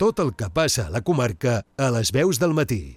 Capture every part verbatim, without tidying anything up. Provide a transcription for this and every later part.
tot el que passa a la comarca a les veus del matí.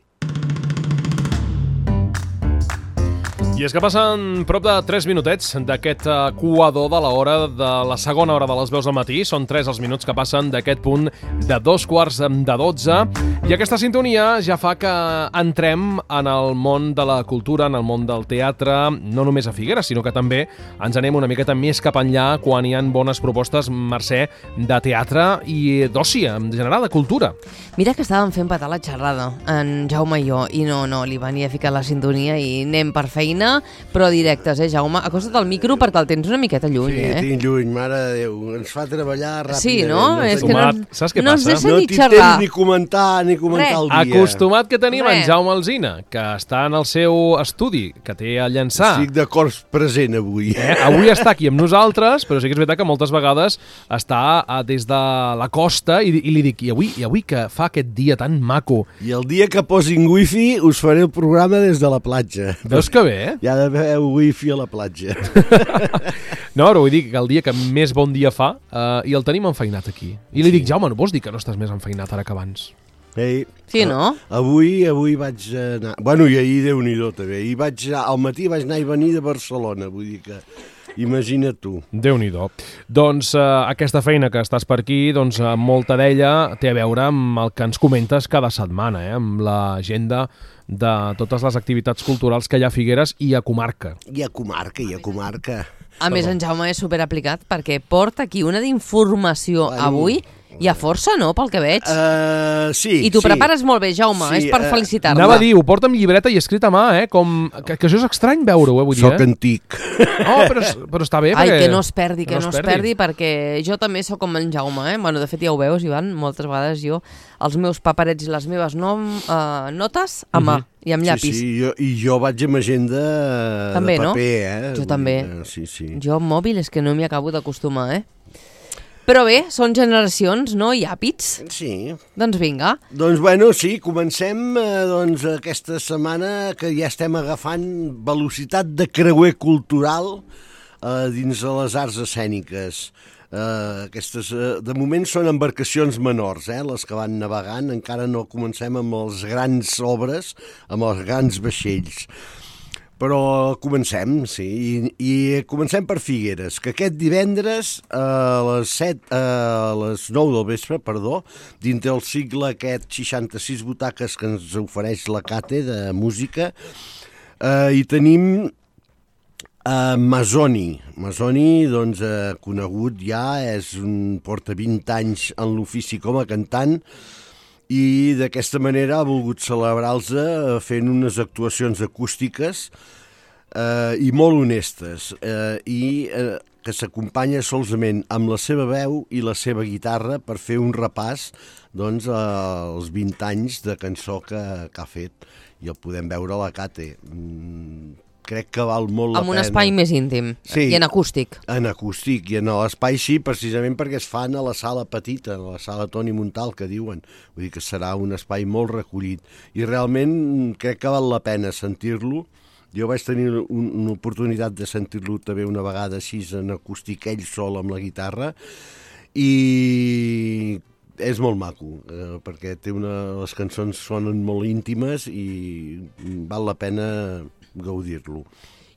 I és que passen prop de tres minutets d'aquest coador de la hora de la segona hora de les veus del matí. Són tres els minuts que passen d'aquest punt de dos quarts de dotze. I aquesta sintonia ja fa que entrem en el món de la cultura, en el món del teatre, no només a Figueres, sinó que també ens anem una miqueta més cap enllà quan hi ha bones propostes, Mercè, de teatre i d'oci, en general, de cultura. Mira que estàvem fent petar la xerrada, en Jaume i jo, i no, no, li venia a ficar la sintonia i anem per feina, però directes, eh, Jaume? Acosta't al micro perquè el tens una miqueta lluny, sí, eh? Sí, tinc lluny, mare de Déu. Ens fa treballar ràpidament. Sí, no? no És que no, Saps què no passa? ens deixa no ni tinc xerrar. temps ni comentar, ni comentar Res. el dia. Acostumat que tenim Res. en Jaume Alsina, que està en el seu estudi, que té a llançar. Estic d'acord present avui. Eh? Avui està aquí amb nosaltres, però sí que és veritat que moltes vegades està eh, des de la costa i, i li dic, i avui, i avui que fa aquest dia tan maco. I el dia que posin wifi us faré el programa des de la platja. Veus que bé, eh? Hi ha d'haver wifi a la platja. No, però vull dir que el dia que més bon dia fa eh, i el tenim enfeinat aquí. I li dic, Jaume, no vols dir que no estàs més enfeinat ara que abans? Ei, Sí, no? Avui avui vaig anar... Bueno, i ahir Déu-n'hi-do també. I vaig, al matí vaig anar i venir de Barcelona, vull dir que... Imagina't tu. Déu-n'hi-do. Doncs eh, aquesta feina que estàs per aquí, doncs eh, molta d'ella té a veure amb el que ens comentes cada setmana, eh? Amb l'agenda de totes les activitats culturals que hi ha a Figueres i a comarca. I a comarca, i a comarca. A més, en Jaume és superaplicat perquè porta aquí una d'informació Bueno. avui. Hi ha força, no?, pel que veig. Uh, sí, I t'ho sí. prepares molt bé, Jaume, Sí, és per eh, felicitar-me. Anava a dir, ho porta amb llibreta i escrit a mà, eh? Com... Que, que això és estrany veure-ho, eh? Vull dir, Soc eh? antic. Oh, però, però està bé, Ai, perquè... que no es perdi, que, no es perdi, perquè jo també sóc com en Jaume, eh? Bueno, de fet ja ho veus, Ivan, moltes vegades jo, els meus paperets i les meves nom, uh, notes a mà, uh -huh. i amb llapis. Sí, sí, jo, i jo vaig amb agenda També, de no? paper, eh? Jo també. Uh, sí, sí. Jo amb mòbil és que no m'hi acabo d'acostumar, eh? Però bé, són generacions, no? I hàbits. Sí. Doncs vinga. Doncs bueno, sí, comencem eh, doncs, aquesta setmana que ja estem agafant velocitat de creuer cultural eh, dins de les arts escèniques. Eh, aquestes, eh, de moment són embarcacions menors, eh, les que van navegant, encara no comencem amb les grans obres, amb els grans vaixells. Però comencem, sí, i, i comencem per Figueres, que aquest divendres a les, set, a les nou del vespre, perdó, dintre del cicle aquest seixanta-sis butaques que ens ofereix la Cate de música, eh, hi tenim eh, Masoni. Masoni, doncs, eh, conegut ja, és un, porta vint anys en l'ofici com a cantant, i d'aquesta manera ha volgut celebrar-los fent unes actuacions acústiques eh, i molt honestes eh, i eh, que s'acompanya solament amb la seva veu i la seva guitarra per fer un repàs doncs, als vint anys de cançó que, que ha fet, i el podem veure a la Cate. Mm, crec que val molt la Amb un pena. espai més íntim, Sí. i en acústic. En acústic, i en l'espai sí, precisament perquè es fan a la sala petita, a la sala Toni Montal, que diuen. Vull dir que serà un espai molt recollit. I realment crec que val la pena sentir-lo. Jo vaig tenir un, una oportunitat de sentir-lo també una vegada així en acústic, ell sol amb la guitarra, i és molt maco, eh, perquè té una, les cançons sonen molt íntimes i val la pena gaudir-lo.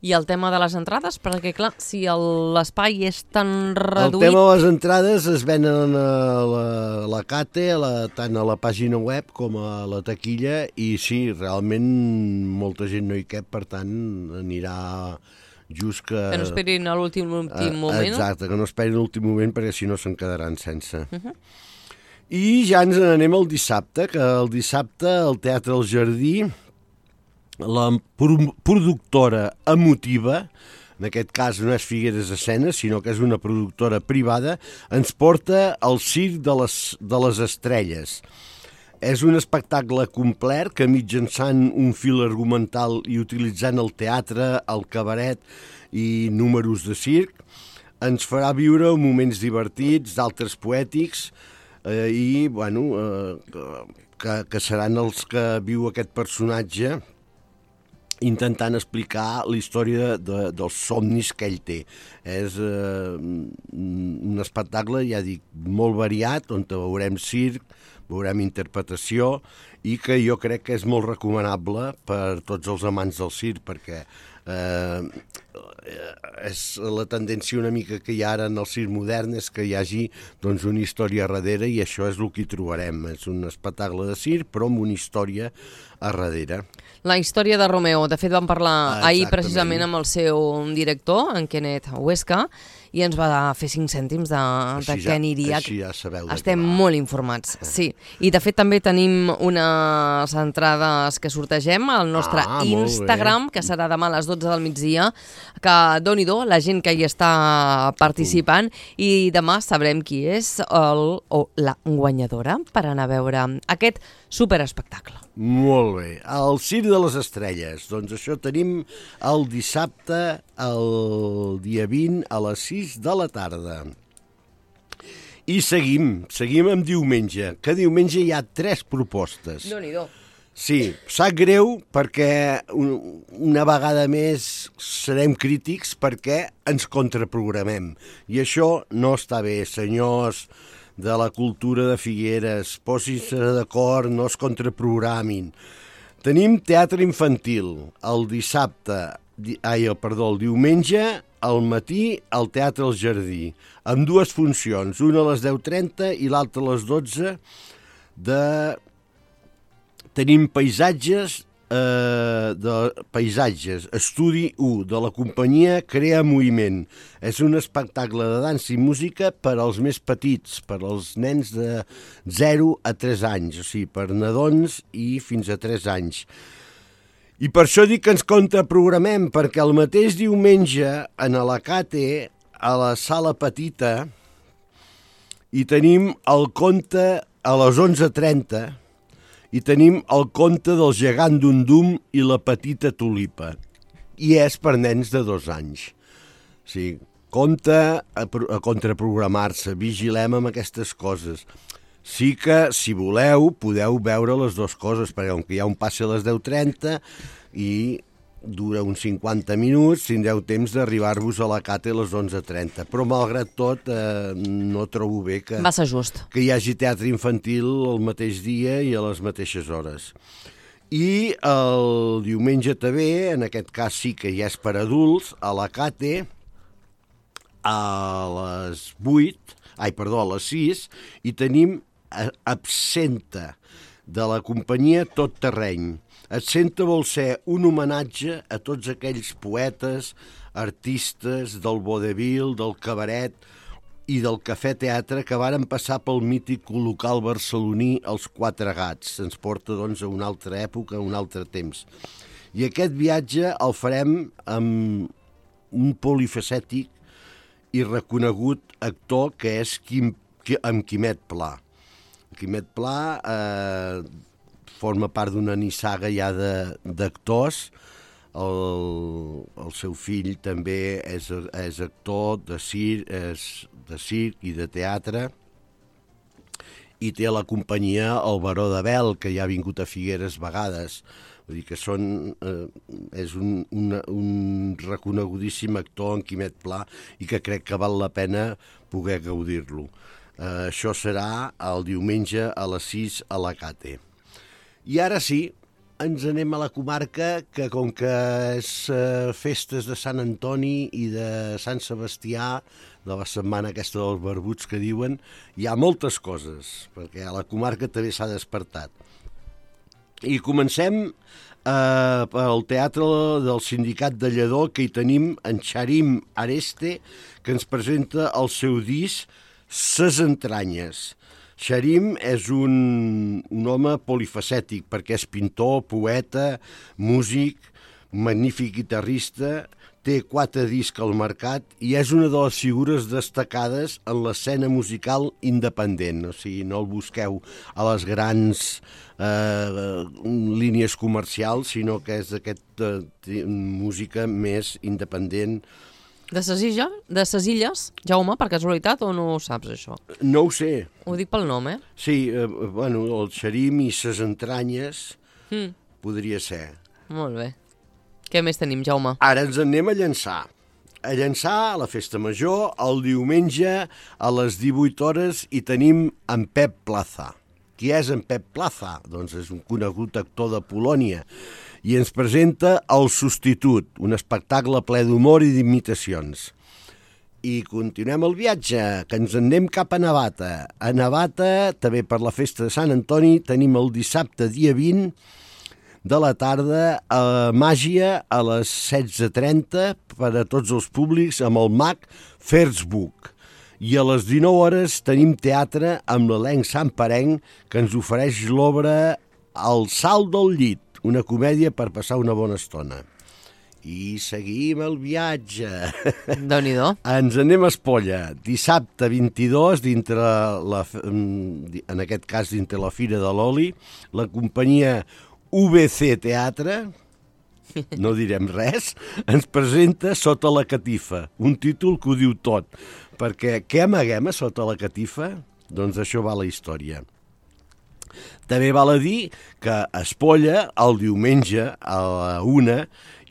I el tema de les entrades, perquè clar, si el- l'espai és tan El reduït... tema de les entrades es venen a la, a la Cate, a la, tant a la pàgina web com a la taquilla, i sí, realment molta gent no hi cap, per tant anirà just que... Que no esperin a l'últim últim moment. Exacte, que no esperin l'últim moment perquè si no se'n quedaran sense. Uh -huh. I ja ens n'anem el dissabte, que el dissabte al Teatre El Jardí la pro- productora emotiva, en aquest cas no és Figueres Escenes, sinó que és una productora privada, ens porta al Circ de les, de les Estrelles. És un espectacle complet que mitjançant un fil argumental i utilitzant el teatre, el cabaret i números de circ, ens farà viure moments divertits, d'altres poètics, eh, i bueno, eh, que, que seran els que viu aquest personatge intentant explicar la història de, dels somnis que ell té. És eh, un espectacle, ja dic, molt variat, on veurem circ, veurem interpretació i que jo crec que és molt recomanable per tots els amants del circ, perquè eh, és la tendència una mica que hi ha ara en el circ modern és que hi hagi doncs, una història a darrere, i això és el que hi trobarem. És un espectacle de circ, però amb una història a darrere. La història de Romeo. De fet, vam parlar ah, ahir precisament amb el seu director, en Kenneth Huesca, i ens va fer cinc cèntims de, de ja, què aniria. Així ja sabeu de Estem què va. molt informats, sí. I de fet també tenim unes entrades que sortegem al nostre ah, Instagram, que serà demà a les dotze del migdia, que doni-do la gent que hi està participant, i demà sabrem qui és el, o la guanyadora per anar a veure aquest superespectacle. Molt bé. El Circ de les Estrelles. Doncs això tenim el dissabte, el dia vint, a les sis de la tarda. I seguim, seguim amb diumenge, que diumenge hi ha tres propostes. Déu-n'hi-do. Sí, sap greu perquè una vegada més serem crítics perquè ens contraprogramem. I això no està bé, senyors de la cultura de Figueres, posin-se d'acord, no es contraprogramin. Tenim teatre infantil el dissabte, di, ai, perdó, el diumenge, al matí, al Teatre al Jardí, amb dues funcions, una a les deu trenta i l'altra a les dotze, de... Tenim paisatges, eh, de paisatges, estudi u, de la companyia Crea Moviment. És un espectacle de dansa i música per als més petits, per als nens de zero a tres anys, o sigui, per nadons i fins a tres anys. I per això dic que ens contraprogramem, perquè el mateix diumenge en Alacate, a la sala petita, hi tenim el conte a les onze trenta, i tenim el conte del gegant Dundum i la petita tulipa. I és per nens de dos anys. O sigui, compte a, a contraprogramar-se, vigilem amb aquestes coses. Sí que, si voleu, podeu veure les dues coses, perquè com que hi ha un passe a les deu trenta i dura uns cinquanta minuts, tindreu temps d'arribar-vos a la Cate a les onze trenta. Però, malgrat tot, eh, no trobo bé que, Va ser just. que hi hagi teatre infantil el mateix dia i a les mateixes hores. I el diumenge també, en aquest cas sí que ja és per adults, a la Cate, a les vuit, ai, perdó, a les sis, i tenim Absenta, de la companyia Tot Terreny. Absenta vol ser un homenatge a tots aquells poetes, artistes del vodevil, del cabaret i del cafè-teatre que varen passar pel mític local barceloní Els Quatre Gats. Ens porta, doncs, a una altra època, a un altre temps. I aquest viatge el farem amb un polifacètic i reconegut actor que és Quim, amb Quimet Pla. Quimet Pla eh, forma part d'una nissaga ja d'actors. El, el seu fill també és, és actor de circ, és de circ i de teatre, i té la companyia El Baró de Bel, que ja ha vingut a Figueres vegades. Vull dir que són, eh, és un, un, un reconegudíssim actor en Quimet Pla i que crec que val la pena poder gaudir-lo. Eh, això serà el diumenge a les sis a la Cate. I ara sí, ens anem a la comarca, que com que és eh, festes de Sant Antoni i de Sant Sebastià, de la setmana aquesta dels barbuts que diuen, hi ha moltes coses, perquè a la comarca també s'ha despertat. I comencem eh, pel Teatre del Sindicat de Lledó, que hi tenim en Xarim Areste, que ens presenta el seu disc Ses Entranyes. Xarim és un, un home polifacètic, perquè és pintor, poeta, músic, magnífic guitarrista, té quatre discs al mercat i és una de les figures destacades en l'escena musical independent. O sigui, no el busqueu a les grans eh, línies comercials, sinó que és d'aquesta eh, música més independent. De ses illes, de ses illes, Jaume, per casualitat, o no ho saps, això? No ho sé. Ho dic pel nom, eh? Sí, eh, bueno, el Xarim i ses entranyes Mm. podria ser. Molt bé. Què més tenim, Jaume? Ara ens anem a Llançà. A Llançà, a la Festa Major, el diumenge a les divuit hores hi tenim en Pep Plaza. Qui és en Pep Plaza? Doncs és un conegut actor de Polònia i ens presenta El substitut, un espectacle ple d'humor i d'imitacions. I continuem el viatge, que ens en anem cap a Navata. A Navata, també per la festa de Sant Antoni, tenim el dissabte, dia vint de la tarda, a Màgia, a les setze trenta, per a tots els públics, amb el mag Fersbuch. I a les dinou hores tenim teatre amb l'elenc santparenc que ens ofereix l'obra El salt del llit, una comèdia per passar una bona estona. I seguim el viatge. Déu-n'hi-do. Ens anem a Espolla. Dissabte vint-i-dos, dintre la, en aquest cas dintre la Fira de l'Oli, la companyia U B C Teatre, no direm res, ens presenta Sota la catifa, un títol que ho diu tot, perquè què amaguem a sota la catifa? Doncs això va la història. També val a dir que a Espolla, el diumenge a la una,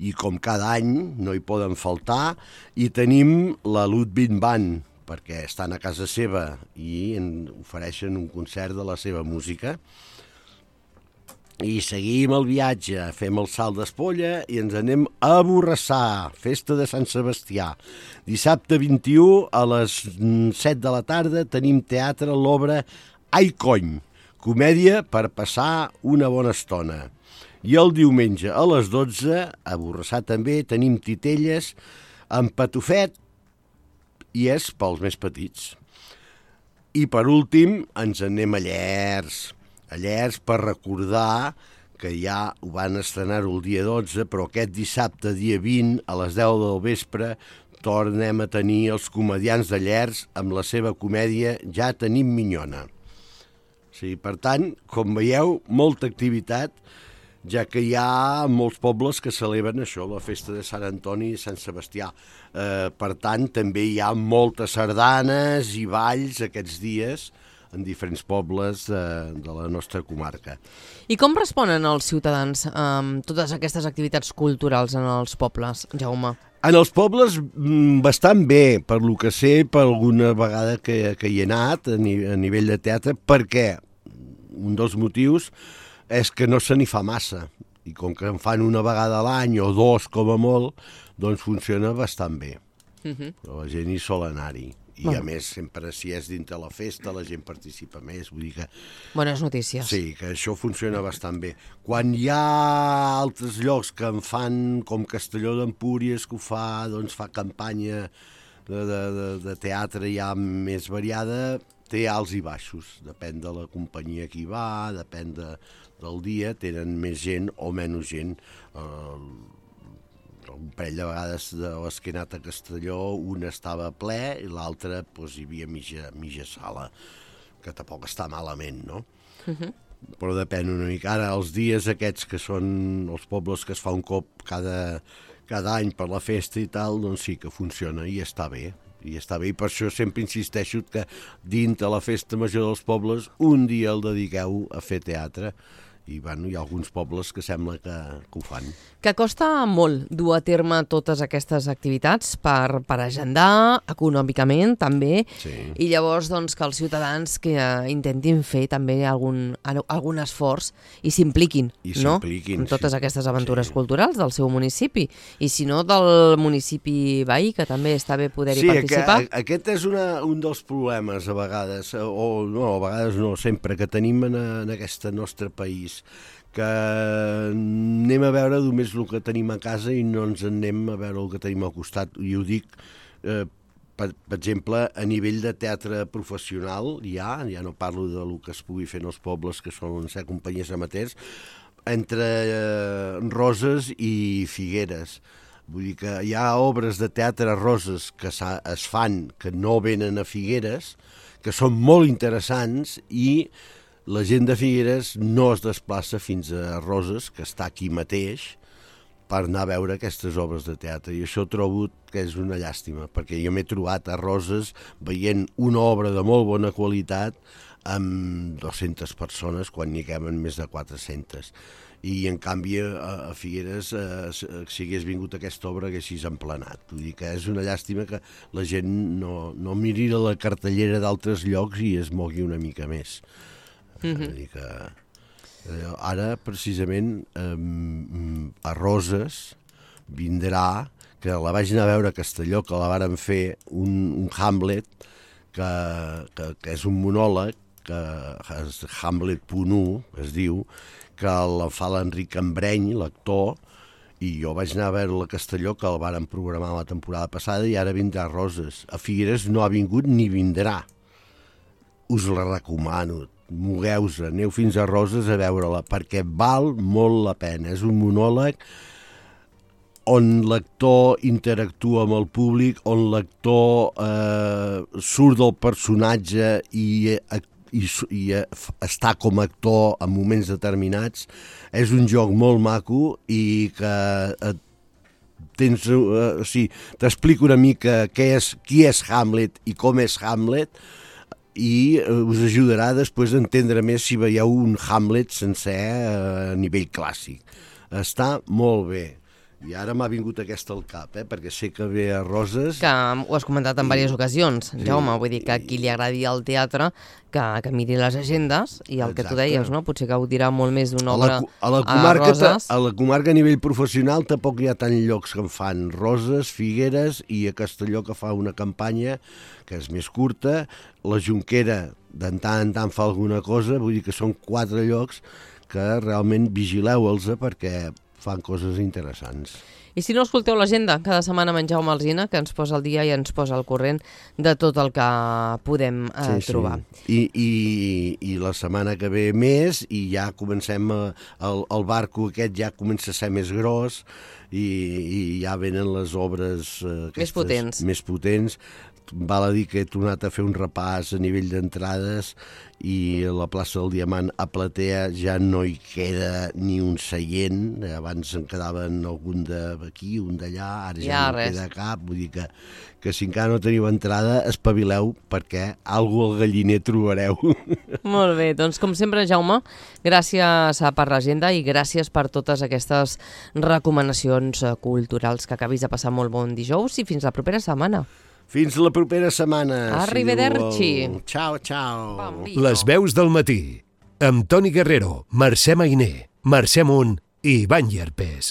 i com cada any no hi poden faltar, i tenim la Ludwig Band, perquè estan a casa seva i en ofereixen un concert de la seva música. I seguim el viatge, fem el salt d'Espolla i ens anem a Borrassà, festa de Sant Sebastià. Dissabte vint-i-u a les set de la tarda tenim teatre l'obra Ai cony, comèdia per passar una bona estona. I el diumenge a les dotze, a Borrassà també, tenim titelles amb patufet i és pels més petits. I per últim ens anem a Llers. A Llers per recordar que ja ho van estrenar el dia dotze, però aquest dissabte, dia vint, a les deu del vespre, tornem a tenir els comediants de Llers amb la seva comèdia Ja tenim minyona. Sí, per tant, com veieu, molta activitat, ja que hi ha molts pobles que celebren això, la festa de Sant Antoni i Sant Sebastià. Eh, per tant, també hi ha moltes sardanes i balls aquests dies en diferents pobles de, de la nostra comarca. I com responen els ciutadans amb totes aquestes activitats culturals en els pobles, Jaume? En els pobles, bastant bé, per lo que sé, per alguna vegada que, que hi he anat a, ni, a nivell de teatre, perquè un dels motius és que no se n'hi fa massa, i com que en fan una vegada a l'any o dos com a molt, doncs funciona bastant bé. Uh-huh. La gent hi sol anar-hi. I bueno, a més, sempre si és dintre la festa, la gent participa més, vull dir que... Bones notícies. Sí, que això funciona bastant bé. Quan hi ha altres llocs que en fan, com Castelló d'Empúries, que ho fa, doncs fa campanya de, de, de, de teatre ja més variada, té alts i baixos, depèn de la companyia que hi va, depèn de, del dia, tenen més gent o menys gent. Eh, un parell de vegades de les que he anat a Castelló, una estava ple i l'altra doncs, hi havia mitja, mitja sala, que tampoc està malament, no? Uh-huh. Però depèn una mica. Ara, els dies aquests que són els pobles que es fa un cop cada, cada any per la festa i tal, doncs sí que funciona i està bé. I està bé, i per això sempre insisteixo que dintre la festa major dels pobles un dia el dediqueu a fer teatre. I bueno, hi ha alguns pobles que sembla que, que ho fan. Que costa molt dur a terme totes aquestes activitats per, per agendar, econòmicament també, sí. I llavors doncs, que els ciutadans que uh, intentin fer també algun, algun esforç i s'impliquin, no? En totes sí. Aquestes aventures sí. Culturals del seu municipi, i si no del municipi veí, que també està bé poder-hi sí, participar. Sí, aquest és una, un dels problemes a vegades, o no, a vegades no, sempre, que tenim en, en aquest nostre país, que anem a veure només el que tenim a casa i no ens anem a veure el que tenim al costat. I ho dic, eh, per, per exemple, a nivell de teatre professional, ja, ja no parlo del que es pugui fer en els pobles, que són ser companyies amateurs, entre eh, Roses i Figueres. Vull dir que hi ha obres de teatre a Roses que es fan, que no venen a Figueres, que són molt interessants, i la gent de Figueres no es desplaça fins a Roses, que està aquí mateix, per anar a veure aquestes obres de teatre. I això trobo que és una llàstima, perquè jo m'he trobat a Roses veient una obra de molt bona qualitat amb dues-centes persones, quan n'hi caben més de quatre-centes. I, en canvi, a Figueres, eh, si hagués vingut aquesta obra, haguessis emplenat. Vull dir que és una llàstima que la gent no, no miri la cartellera d'altres llocs i es mogui una mica més. Mm-hmm. És a dir que eh, ara, precisament, eh, a Roses vindrà, que la vaig anar a veure a Castelló, que la varen fer un, un Hamlet, que, que, que és un monòleg, que és Hamlet punt u, es diu, que la fa l'Enric Embreny, l'actor, i jo vaig anar a veure a Castelló, que el varen programar la temporada passada, i ara vindrà a Roses. A Figueres no ha vingut ni vindrà. Us la recomano, mogueu-se, aneu fins a Roses a veure-la, perquè val molt la pena. És un monòleg on l'actor interactua amb el públic, on l'actor eh, surt del personatge i, i, i està com a actor en moments determinats. És un joc molt maco i que eh, tens, eh, o sigui, t'explico una mica què és, qui és Hamlet i com és Hamlet, i us ajudarà després a entendre més si veieu un Hamlet sencer a nivell clàssic. Està molt bé. I ara m'ha vingut aquesta al cap, eh? Perquè sé que ve a Roses... Que ho has comentat en diverses ocasions, sí, Jaume, vull dir que a qui li agradi el teatre, que, que miri les agendes, i el Exacte. Que tu deies, no? Potser gaudirà molt més d'una obra a, a, la comarca, a Roses. A la comarca a nivell professional tampoc hi ha tant llocs que en fan. Roses, Figueres i a Castelló, que fa una campanya que és més curta. La Jonquera de tant en tant fa alguna cosa, vull dir que són quatre llocs que realment vigileu-los perquè fan coses interessants. I si no, escolteu l'agenda cada setmana amb en Jaume Alsina, que ens posa al dia i ens posa al corrent de tot el que podem eh, sí, trobar. Sí. I, i, I la setmana que ve més, i ja comencem, a, el, el barco aquest ja comença a ser més gros, i, i ja venen les obres eh, aquestes, més potents. més potents. Val a dir que he tornat a fer un repàs a nivell d'entrades i a la plaça del Diamant a Platea ja no hi queda ni un seient. Abans en quedaven algun d'aquí, un d'allà, ara ja, ja no res. Queda cap. Vull dir que, que si encara no teniu entrada, espavileu perquè algú al galliner trobareu. Molt bé, doncs com sempre, Jaume, gràcies per l'agenda i gràcies per totes aquestes recomanacions culturals. Que acabis de passar molt bon dijous i fins la propera setmana. Fins la propera setmana. Arrivederci. Si ciao, ciao. Bambino. Les veus del matí, amb Toni Guerrero, Mercè Mainer, Mercè Munt i Ivan Llerpés.